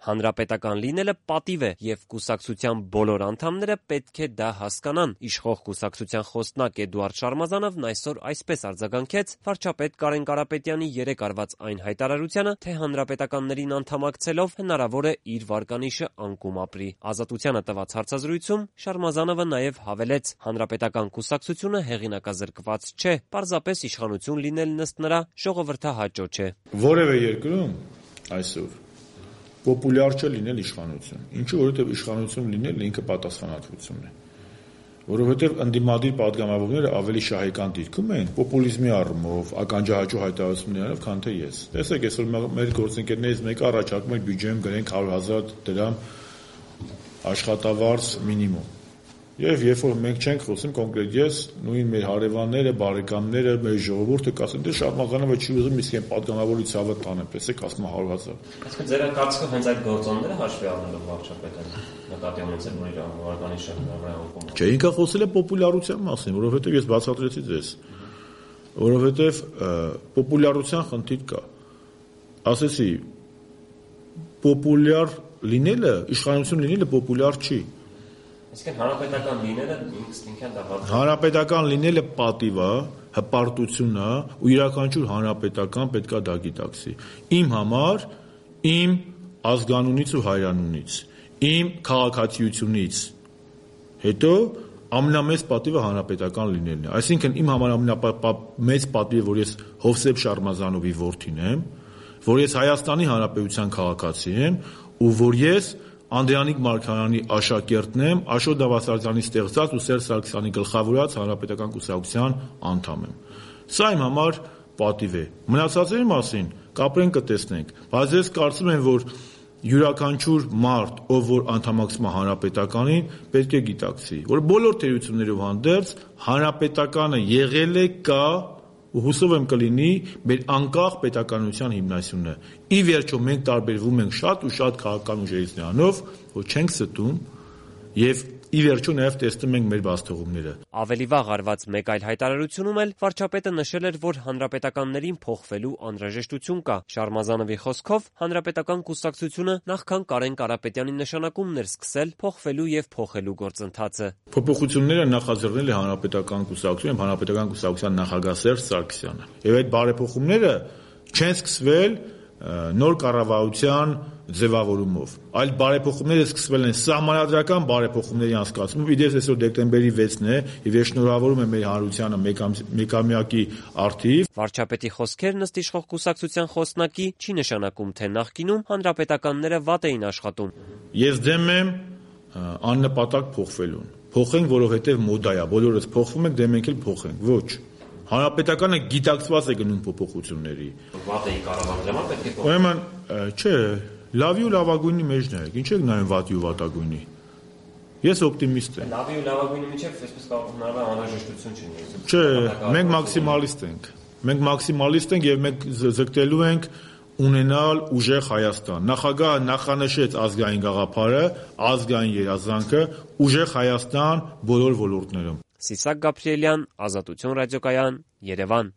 Հանրապետական լինելը պատիվ է և կուսակցության բոլոր անդամները պետք է դա հասկանան։ Իշխող կուսակցության խոսնակ Էդուարդ Շարմազանովն այսօր այսպես արձագանքեց վարչապետ Կարեն Կարապետյանի երեկ արված այն հայտարարությանը, թե հանրապետականներին անդամակցելով հնարավոր է իր վարկանիշը անկում ապրի։ Ազատությանը տված հարցազրույցում Շարմազանովը նաև հավելեց. հանրապետական կուսակցությունը հեղինակազրկված չէ, պարզապես իշխանություն լինելն ըստ նրա ժողովրդահաճո չէ։ Որևէ երկրում այսօր պոպուլյար չէ լինել իշխանություն։ Ինչու՞, որովհետև իշխանություն լինելն ինքը պատասխանատվություն է։ Որովհետև ընդդիմադիր պատգամավորները ավելի շահեկան դիրքում են պոպուլիզմի առումով, ականջահաճո հայտարարություններով, քան թե ես։ Տեսեք, այսօր մեր գործընկերներից մեկը առաջարկում է բյուջեում գրենք 100,000 դրամ աշխատավարձ մինիմում։ Եվ երբ որ մենք չենք խոսում կոնկրետ ես, նույն մեր հարևանները, բարեկամները, մեր ժողովուրդը կասեն, դե Շարմազանովը չի ուզում իսկ այն պատգամավորի ցավը տանեմ, տեսեք, ասում է 100,000։ Այսինքն ձեր կարծիքով հենց այդ գործոնները հաշվի առնելով վարչապետը նկատի ունեցել, որ իր վարկանիշը անկում։ Չէ, ինքը խոսել է պոպուլյարության մասին, որովհետև ես բացատրեցի ձեզ, որովհետև պոպուլյարության խնդիր կա։ Ասեցի, պոպուլյար լինելը, իշխանություն լինելը պոպուլյար չի։ Այսինքն հանրապետական լինելը ինքնին դա վարձ։ Հանրապետական լինելը պատիվ է, հպարտություն է, ու յուրաքանչյուր հանրապետական պետք է դա գիտակցի։ Իմ համար, իմ ազգանունից ու հայրանունից, իմ քաղաքացիությունից հետո ամենամեծ պատիվը հանրապետական լինելն է։ Այսինքն իմ համար ամենամեծ պատիվը, որ ես Հովսեփ Շարմազանովի որդին եմ, որ ես Հայաստանի Հանրապետության քաղաքացի եմ, ու որ ես Անդրանիկ Մարգարյանի աշակերտն եմ, Աշոտ Դավասարյանի ստեղծած ու Սերժ Սարգսյանի գլխավորած հանրապետական կուսակցության անդամ եմ։ Սա իմ համար պատիվ է։ Մնացածների մասին կապրենք կտեսնենք, բայց ես կարծում եմ, որ յուրաքանչյուր մարդ, ով որ անդամակցում է հանրապետականին, պետք է գիտակցի, որ բոլոր թերություններով հանդերձ հանրապետականը եղել է, կա ու հուսով եմ կլինի մեր անկախ պետականության հիմնասյունը։ Ի վերջո մենք տարբերվում ենք շատ ու շատ քաղաքական ուժերից նրանով, որ չենք ստում եւ ի վերջո նաեւ տեսնում ենք մեր բացթողումները։ Ավելի վաղ արված մեկ այլ հայտարարությունում էլ վարչապետը նշել էր, որ հանրապետականներին փոխվելու անհրաժեշտություն կա։ Շարմազանովի խոսքով հանրապետական կուսակցությունը նախքան Կարեն Կարապետյանի նշանակումն էր սկսել փոխվելու եւ փոխելու գործընթացը։ Փոփոխությունները նախաձեռնել է հանրապետական կուսակցությունը, հանրապետական կուսակցության նախագահ Սերժ Սարգսյանը։ Եվ այդ բարեփոխումները չեն սկսվել նոր կառավարության ձևավորումով, այլ բարեփոխումները սկսվել են սահմանադրական բարեփոխումների անցկացումով։ Իդեպ այսօր դեկտեմբերի 6-ն է, եւ ես շնորհավորում եմ մեր հանրությանը մեկամյակի արդիվ։ Վարչապետի խոսքերն ըստ իշխող կուսակցության խոսնակի չի նշանակում, թե նախկինում հանրապետականները վատ էին աշխատում։ Ես դեմ եմ աննպատակ փոխվելուն։ Փոխենք, որովհետեւ մոդա է, բոլորս փոխվում ենք, դե մենք էլ փոխենք։ Ոչ։ Հանրապետականը գիտակցված է գնում փոփոխությունների։ Վատ էի կառավարել, պետք է փոխել։ Ուրեմն, չէ, լավի ու լավագույնի մեջն է, ինչ եք նայում վատի ու վատագույնի։ Ես օպտիմիստ եմ։ Լավի ու լավագույնի միջև այսպես կարող անհրաժեշտություն չունի։ Չէ, մենք մաքսիմալիստ ենք։ Մենք մաքսիմալիստ ենք եւ մենք ձգտելու ենք ունենալ ուժեղ Հայաստան։ Նախագահը նախանշեց ազգային գաղափարը, ազգային երազանքը, ուժեղ Հայաստան բոլոր ոլորտներում։ Սիսակ Գաբրիելյան, Ազատություն ռադիոկայան, Երևան։